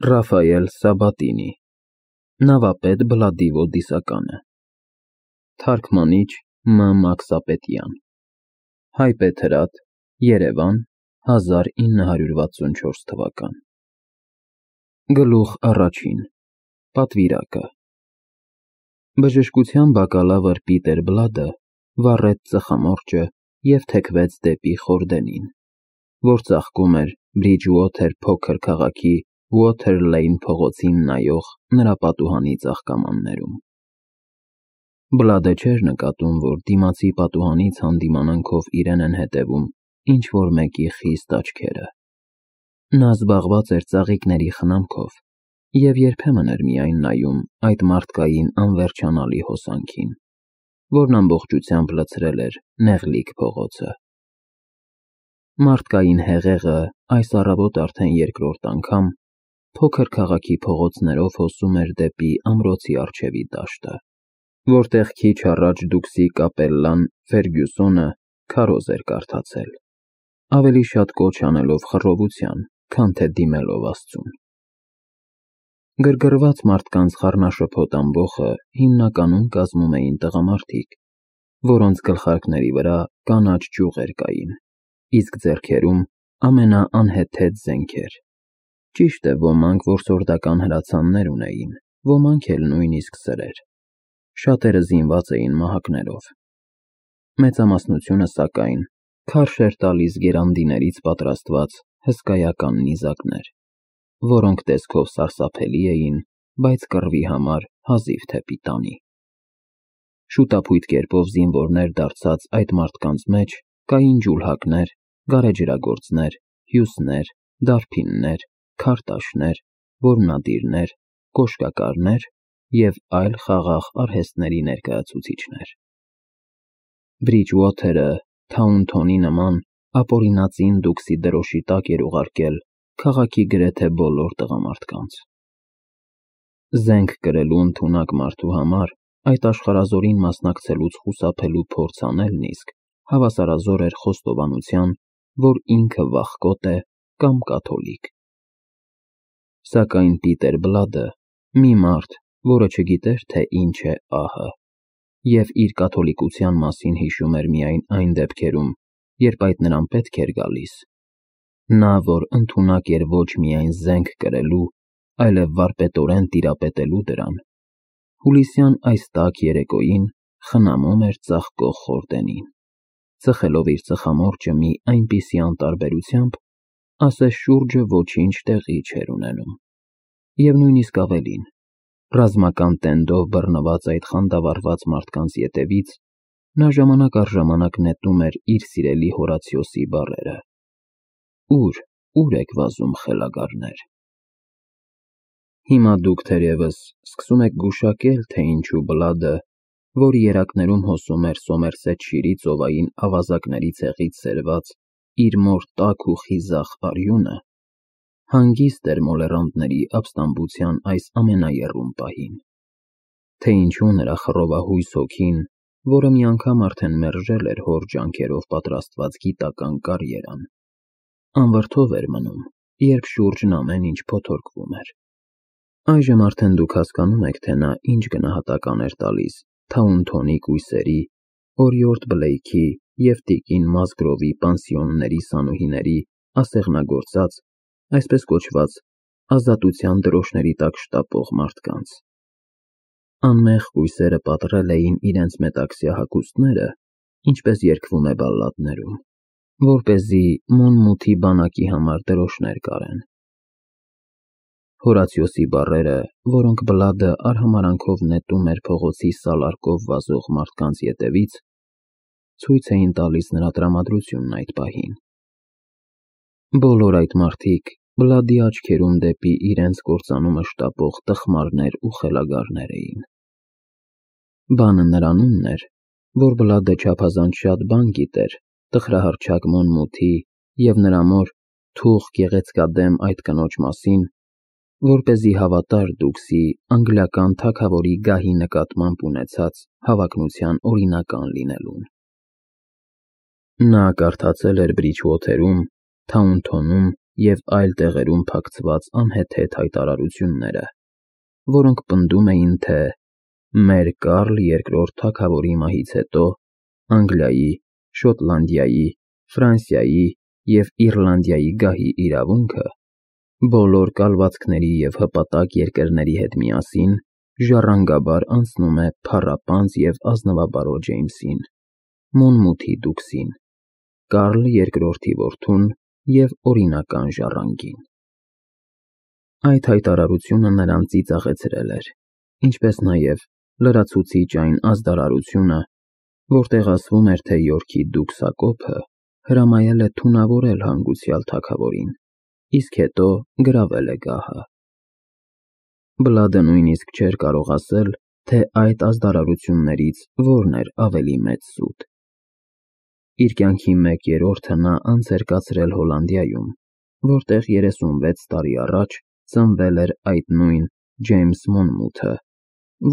Ռաֆայել Սաբատինի, Նավապետ Բլադիվո Դիսականը, Թարգմանիչ Մ. Մաքսապետյան, Հայբեթրատ, Երևան, 1964 թվական։ Գլուխ առաջին, պատվիրակը։ Բժշկության բակալավր Պիտեր Բլադը վառեց ծխամորճը և թեքվեց դեպի Խորդենին, որ ծաղկում էր Բրիջուոթեր փոքր քաղաքի Ուոթեր Լեյն փողոցին նայող նրա պատուհանի ծաղկամաններում։ Բլադը չէր նկատում, որ դիմացի պատուհանից հանդիմանանքով իրեն են հետևում ինչ-որ մեկի խիստ աչքերը։ Նա զբաղված էր ծաղիկների խնամքով և երբեմն էր միայն նայում այդ մարդկային անվերջանալի հոսանքին, որն ամբողջությամբ լցրել էր նեղլիկ փողոցը։ Մարդկային հեղեղը այս առավոտ արդեն երկրորդ անգամ փոքր քաղաքի փողոցներով հոսում էր դեպի ամրոցի առջևի դաշտը, որտեղ քիչ առաջ դուքսի կապելլան Ֆերգյուսոնը քարոզ էր կարդացել, ավելի շատ կոչ անելով խռովության, քան թե դիմելով Աստծուն։ Գրգռված մարդկանց խառնաշփոթ ամբոխը հիմնականում կազմում էին տղամարդիկ, որոնց գլխարկների վրա կանաչ ճյուղեր կային, իսկ ձեռքերում ամենաանհեթեթ զենքեր։ Ճիշտ է, ոմանք որսորդական հրացաններ ունեին, ոմանք էլ նույնիսկ սրեր։ Շատերը զինված էին մահակներով։ Մեծամասնությունը, սակայն, քարշ էր տալիս գերանդիներից պատրաստված հսկայական նիզակներ, որոնք տեսքով սարսափելի էին, բայց կռվի համար հազիվ թե պիտանի։ Շուտափույթ կերպով զինվորներ դարձած այդ մարդկանց մեջ կային ջուլհակներ, գարեջրագործներ, հյուսներ, դարբիններ, քարտաշներ, որմնադիրներ, կոշկակարներ և այլ խաղաղ արհեստների ներկայացուցիչներ։ Բրիջուոթերը Թաունթոնի նման ապօրինածին դուքսի դրոշի տակ էր ուղարկել քաղաքի գրեթե բոլոր տղամարդկանց։ Զենք կրելու ընդունակ մարդու համար այդ աշխարհազորին մասնակցելուց խուսափելու փորձ անելն իսկ հավասարազոր էր խոստովանության, որ ինքը վախկոտ է կամ կաթոլիկ։ Սակայն Պիտեր Բլադը, մի մարդ, որը չգիտեր, թե ինչ է ահը, և իր կաթոլիկության մասին հիշում էր միայն այն դեպքերում, երբ այդ նրան պետք էր գալիս, նա, որ ընդունակ էր ոչ միայն զենք կրելու, այլև վարպետորեն տիրապետելու դրան, հուլիսյան այս տաք երեկոյին խնամում էր ծաղկող Խորդենին, ծխելով իր ծխամորճը մի այնպիսի անտարբերությամբ, ասես շուրջը ոչինչ տեղի չէր ունենում, և նույնիսկ ավելին, ռազմական տենդով բռնված այդ խանդավառված մարդկանց ետևից նա ժամանակ առ ժամանակ նետում էր իր սիրելի Հորացիոսի բառերը. «Ուր եք վազում, խելագարներ»։ Հիմա դուք թերևս սկսում եք գուշակել, թե ինչու Բլադը, որ երակներում հոսում էր Սոմերսեթշիրի ծովային ավազակների ցեղից սերված իր մոր տաք ու խիզախ արյունը, հանգիստ էր մոլեռանդների ապստամբության այս ամենաեռուն պահին, թե ինչու նրա խռովահույս հոգին, որը մի անգամ արդեն մերժել էր հոր ջանքերով պատրաստված գիտական կարիերան, անվրդով էր մնում, երբ շուրջն ամեն ինչ փոթորկվում էր։ Այժմ արդեն դուք հասկանում եք, թե նա ինչ գնահատական էր տալիս Թաունթոնի կույսերի, Օրիորդ Բլեյքի և տիկին Մասգրովի պանսիոնների սանուհիների ասեղնագործած, այսպես կոչված, ազատության դրոշների տակ շտապող մարդկանց։ Անմեղ կույսերը պատռել էին իրենց մետաքսյա հագուստները, ինչպես երգվում է բալլադներում, որպեսզի մուն-մութի բանակի համար դրոշներ կարեն։ Հորացիոսի բառերը, որոնք Բլադը արհամարհանքով նետում էր փողոցի սալարկով վազող մարդկանց ետևից, ցույց էին տալիս նրա տրամադրությունն այդ պահին։ Բոլոր այդ մարդիկ Բլադի աչքերում դեպի իրենց կործանումը շտապող տխմարներ ու խելագարներ էին։ Բանը նրանումն էր, որ Բլադը չափազանց շատ բան գիտեր տխրահռչակ մուն-մութի և նրա մոր թուխ գեղեցկադեմ այդ կնոջ մասին, որպեսզի հավատար դուքսի անգլիական թագավորի գահի նկատմամբ ունեցած հավակնության օրինական լինելուն։ Նա կարդացել էր Բրիջուոթերում, Թաունթոնում և այլ տեղերում փակցված անհեթեթ հայտարարությունները, որոնք պնդում էին, թե մեր Կարլ II թագավորի մահից հետո Անգլիայի, Շոտլանդիայի, Ֆրանսիայի և Իռլանդիայի գահի իրավունքը բոլոր կալվածքների և հպատակ երկրների հետ միասին ժառանգաբար անցնում է փառապանծ և ազնվաբարո Ջեյմսին, Մոնմութի դուքսին, Կարլ II-ի որդուն և օրինական ժառանգին։ Այդ հայտարարությունը նրան ծիծաղեցրել էր, ինչպես նաև լրացուցիչ այն ազդարարությունը, որտեղ ասվում էր, թե Յորքի դուք Հակոբը հրամայել է թունավորել հանգուցյալ թագավորին, իսկ հետո գրավել է գահը։ Բլադը նույնիսկ չէր կարող ասել, թե այդ ազդարարություններից որն էր ավելի մեծ սուտ։ Իր կյանքի 1/3-ը նա անց էր կացրել Հոլանդիայում, որտեղ 36 տարի առաջ ծնվել էր այդ նույն Ջեյմս Մոնմութը,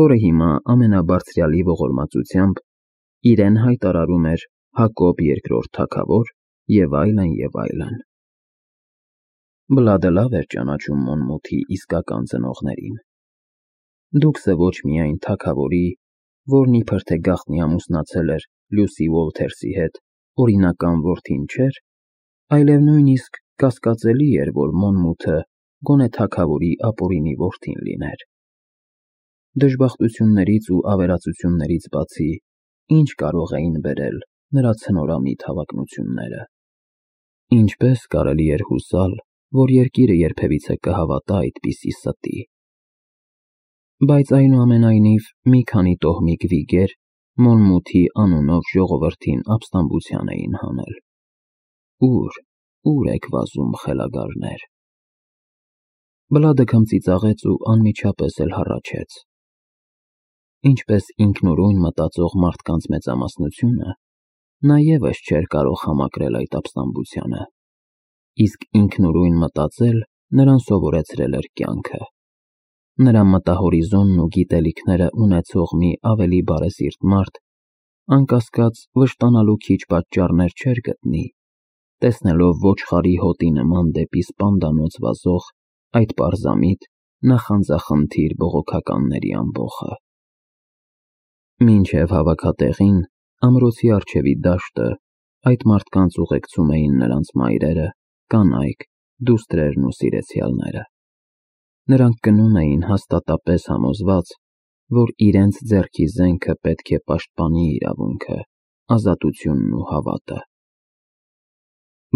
որը հիմա ամենաբարձրյալի ողորմածությամբ իրեն հայտարարում էր Հակոբ II թագավոր և այլն, և այլն։ Բլադը լավ էր ճանաչում Մոնմութի իսկական ծնողներին։ Դուքսը ոչ միայն թագավորի, որն իբր թե գաղտնի ամուսնացել էր Լյուսի Ուոլթերսի հետ, օրինական որդին չէր, այլև նույնիսկ կասկածելի էր, որ Մոնմութը գոնե թագավորի ապօրինի որդին լիներ։ Դժբախտություններից ու ավերածություններից բացի, ինչ կարող էին բերել նրա ցնորամիտ հավակնությունները։ Ինչպես կարելի էր հուսալ, որ երկիրը երբևիցե կհավատա այդպիսի ստի։ Բայց այնուամենայնիվ մի քանի տոհմիկ վիգեր Մոնմութի անունով ժողովրդին ապստամբության էին հանել։ Ուր եք վազում, խելագարներ։ Բլադը քմծիծաղեց ու անմիջապես էլ հառաչեց։ Ինչպես ինքնուրույն մտածող մարդկանց մեծամասնությունը, նա ևս չէր կարող համակրել այդ ապստամբությանը, իսկ ինքնուրույն մտածել նրան սովորեցրել էր կյանքը։ Նրա մտահորիզոնն ու գիտելիքները ունեցող մի ավելի բարեսիրտ մարդ, անկասկած, վշտանալու քիչ պատճառներ չէր գտնի, տեսնելով ոչխարի հոտի նման դեպի սպանդանոց վազող այդ պարզամիտ, նախանձախնդիր բողոքականների ամբոխը։ Մինչև հավաքատեղին, ամրոցի առջևի դաշտը, այդ մարդկանց ուղեկցում էին նրանց մայրերը, կանայք, դուստրերն ու սիրեցյալները։ Նրանք գնում էին հաստատապես համոզված, որ իրենց ձեռքի զենքը պետք է պաշտպանի իրավունքը, ազատությունն ու հավատը։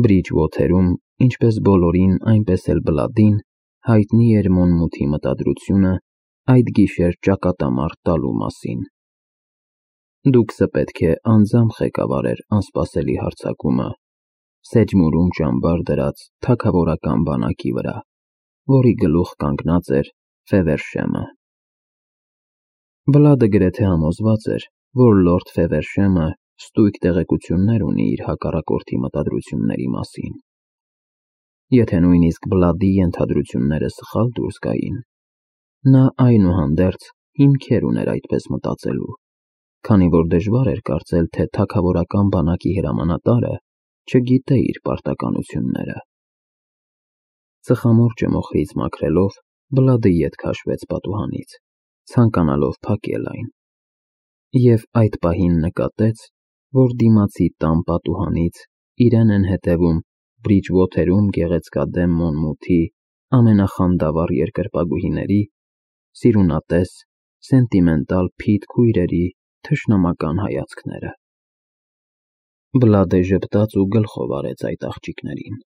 Բրիջվոթերում, ինչպես բոլորին, այնպես էլ Բլադին, հայտնի էր Մոնմութի մտադրությունը այդ գիշեր ճակատամարտ տալու մասին։ Դուքսը պետք է անձամբ ղեկավարեր անսպասելի հարձակումը Սեջմուրում ճամբար դրած թագավորական բանակի վրա, որի գլուխ կանգնած էր Ֆևերշեմը։ Բլադը գրեթե համոզված էր, որ լորդ Ֆևերշեմը ստույգ տեղեկություններ ունի իր հակառակորդի մտադրությունների մասին։ Եթե նույնիսկ Բլադի ենթադրությունները սխալ դուրս գային, նա այնուհանդերձ հիմքեր ուներ այդպես մտածելու, քանի որ դժվար էր կարծել, թե թագավորական բանակի հրամանատարը չգիտե իր պարտականությունները։ Ծխամորճը մոխրից մաքրելով, Բլադը ետ քաշվեց պատուհանից, ցանկանալով փակել այն, և այդ պահին նկատեց, որ դիմացի տան պատուհանից իրեն են հետևում Բրիջվոթերում գեղեցկադեմ Մոնմութի ամենախանդավառ երկրպագուհիների, սիրունատես, սենտիմենտալ փիթ քույրերի թշնամական հայացքները։ Բլադը ժպտաց ու գլխով արեց այդ աղջիկներին,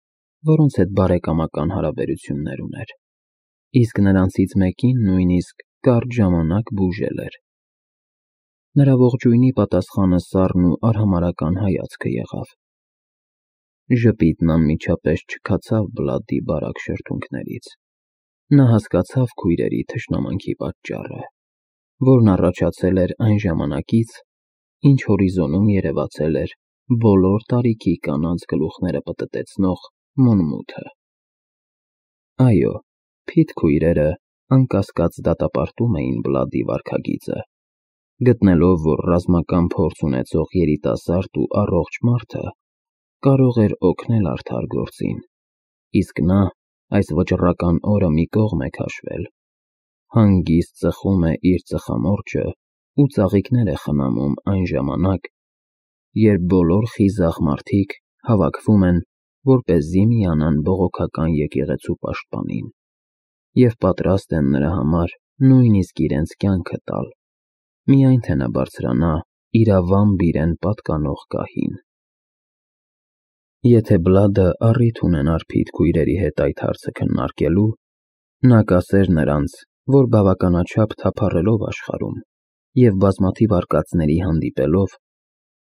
որոնց հետ բարեկամական հարաբերություններ ուներ, իսկ նրանցից մեկին նույնիսկ կարճ ժամանակ բուժել էր։ Նրա ողջույնի պատասխանը սառն ու արհամարհական հայացքը եղավ։ Ժպիտն անմիջապես չքացավ Բլադի բարակ շրթունքներից։ Նա հասկացավ քույրերի թշնամանքի պատճառը, որն առաջացել էր այն ժամանակից, ինչ հորիզոնում երևացել էր բոլոր տարիքի կանանց գլուխները պտտեցնող Մոնմութը։ Այո, փիթ քույրերը անկասկած դատապարտում էին Բլադի վարքագիծը, գտնելով, որ ռազմական փորձ ունեցող երիտասարդ ու առողջ մարդը կարող էր օգնել արդար գործին, իսկ նա այս վճռական օրը մի կողմ է քաշվել, հանգիստ ծխում է իր ծխամորճը ու ծաղիկներ է խնամում այն ժամանակ, երբ բոլոր խիզախ մարդիկ հավաքվում են, որպեսզի միանան բողոքական եկեղեցու պաշտպանին և պատրաստ են նրա համար նույնիսկ իրենց կյանքը տալ, միայն թե նա բարձրանա իրավամբ իրեն պատկանող գահին։ Եթե Բլադը առիթ ունենար Փիթ քույրերի հետ այդ հարցը քննարկելու, նա կասեր նրանց, որ բավականաչափ թափառելով աշխարհում և բազմաթիվ արկածների հանդիպելով,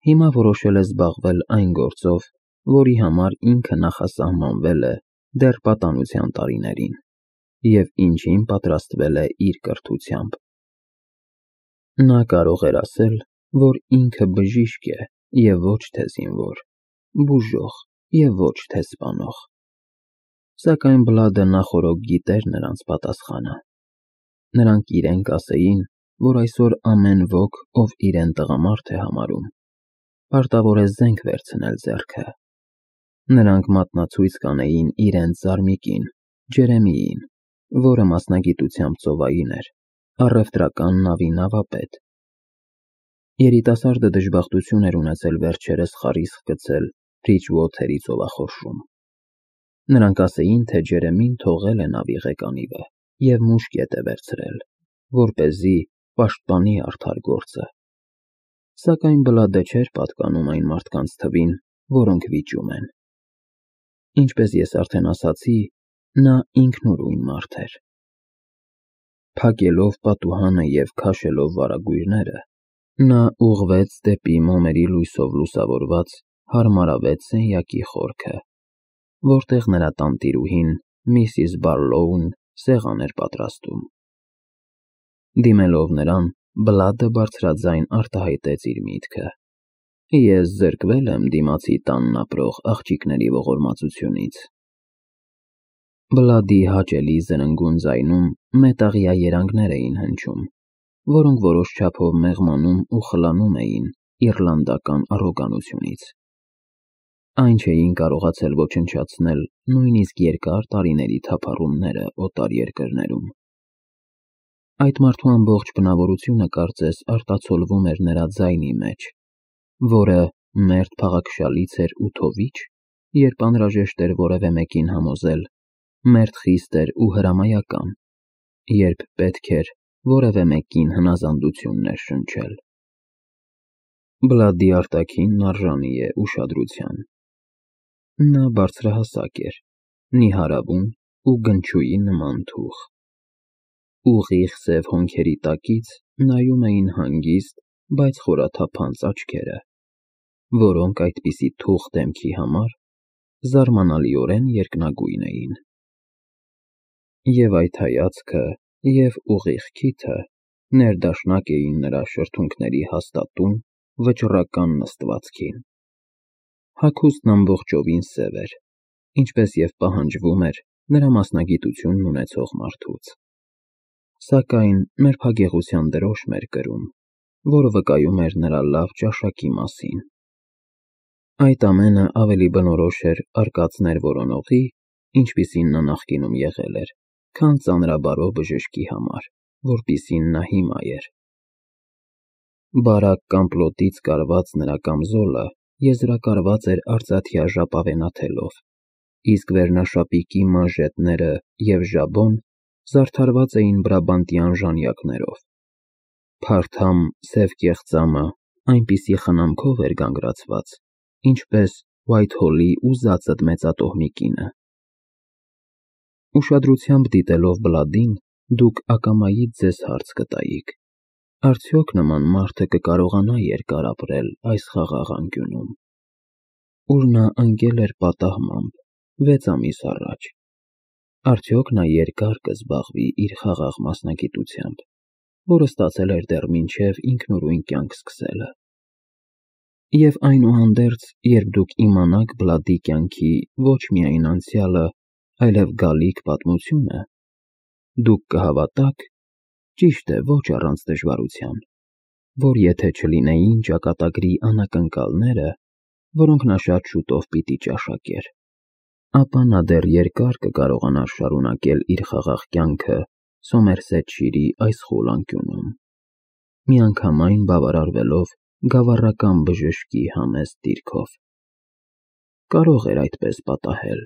հիմա որոշել է զբաղվել այն գործով, որի համար ինքը նախասահմանվել է դեռ պատանության տարիներին և ինչին պատրաստվել է իր կրթությամբ։ Նա կարող էր ասել, որ ինքը բժիշկ է և ոչ թե զինվոր, բուժող և ոչ թե սպանող, սակայն Բլադը նախօրոք գիտեր նրանց պատասխանը։ Նրանք իրեն կասեին, որ այսօր ամեն ոք, ով իրեն տղամարդ է համարում, պարտավոր է զենք վերցնել ձեռքը։ Նրանք մատնացույց կանեին իրենց զարմիկին, Ջերեմիին, որը մասնագիտությամբ ծովային էր, առևտրական նավի նավապետ։ Երիտասարդը դժբախտություն էր ունեցել վերջերս խարիսխ գցել Բրիջուոթերի ծովախորշում։ Նրանք ասեին, թե Ջերեմին թողել է նավի ղեկանիվը և մուշկետ է վերցրել, որպեսզի պաշտպանի արդար գործը։ Սակայն Բլադը չէր պատկանում այն մարդկանց թվին, որոնք վիճում են։ Ինչպես ես արդեն ասացի, նա ինքնուրույն մարդ էր։ Փակելով պատուհանը և քաշելով վարագույրները, նա ուղղվեց դեպի մոմերի լույսով լուսավորված հարմարավետ սենյակի խորքը, որտեղ նրա տանտիրուհին, Միսիս Բարլոուն, սեղան էր պատրաստում։ Դիմելով նրան, Բլադը բարձրաձայն արտահայտեց իր միտքը. «Ես զրկվել եմ դիմացի տանն ապրող աղջիկների ողորմածությունից»։ Բլադի հաճելի զրնգուն ձայնում մետաղյա երանգներ էին հնչում, որոնք որոշ չափով մեղմանում ու խլանում էին իռլանդական առոգանությունից։ Այն չէին կարողացել ոչնչացնել նույնիսկ երկար տարիների թափառումները օտար երկրներում։ Այդ մարդու ամբողջ բնավորությունը կարծես արտացոլվում էր նրա ձայնի մեջ, որը մերթ փաղաքշալից էր ու թովիչ, երբ անհրաժեշտ էր որևէ մեկին համոզել, մերթ խիստ էր ու հրամայական, երբ պետք էր որևէ մեկին հնազանդություն ներշնչել։ Բլադի արտաքինն արժանի է ուշադրության։ Նա բարձրահասակ էր, նիհարավուն ու գնչուի նման թուխ։ Ուղիղ սև հոնքերի տակից նայում էին հանգիստ, բայց խորաթափանց աչքերը, որոնք այդպիսի թուխ դեմքի համար զարմանալիորեն երկնագույն էին։ Եվ այդ հայացքը և ուղիղ քիթը ներդաշնակ էին նրա շրթունքների հաստատուն, վճռական նստվածքին։ Հագուստն ամբողջովին սև էր, ինչպես և պահանջվում էր նրա մասնագիտությունն ունեցող մարդուց։ Սակայն նրբագեղության դրոշմ էր կրում, որը վկայում էր նրա լավ ճաշակի մասին։ Այդ ամենը ավելի բնորոշ էր արկածներ որոնողի, ինչպիսին նա նախկինում եղել էր, քան ծանրաբարո բժշկի համար, որպիսին նա հիմա էր։ Բարակ կամպլոտից կարված նրա կամզոլը եզրակարված էր արծաթյա ժապավենաթելով, իսկ վերնաշապիկի մանժետները և ժաբոն զարդարված էին բրաբանտյան ժանյակներով։ Փարթամ սև կեղծամը այնպիսի խնամքով էր գանգրացված, ինչպես Ուայթհոլի ուզածդ մեծատոհմի կինը։ Ուշադրությամբ դիտելով Բլադին, դուք ակամայից ձեզ հարց կտայիք. արդյոք նման մարդը կկարողանա երկար ապրել այս խաղաղ անկյունում, ուր նա ընկել էր պատահմամբ 6 ամիս առաջ։ Արդյոք նա երկար կզբաղվի իր խաղաղ մասնագիտությամբ, որը ստացել էր դեռ մինչև ինքնուրույն կյանք սկսելը։ Եվ այնուհանդերձ, երբ դուք իմանաք Բլադի կյանքի ոչ միայն անցյալը, այլև գալիք պատմությունը, դուք կհավատաք, ճիշտ է, ոչ առանց դժվարության, որ եթե չլինեին ճակատագրի անակնկալները, որոնք նա շատ շուտով պիտի ճաշակեր, ապա նա դեռ երկար կկարողանար շարունակել իր խաղաղ կյանքը Սոմերսեթշիրի այս խուլ անկյունում, միանգամայն բավարարվելով գավառական բժշկի համեստ դիրքով։ Կարող էր այդպես պատահել,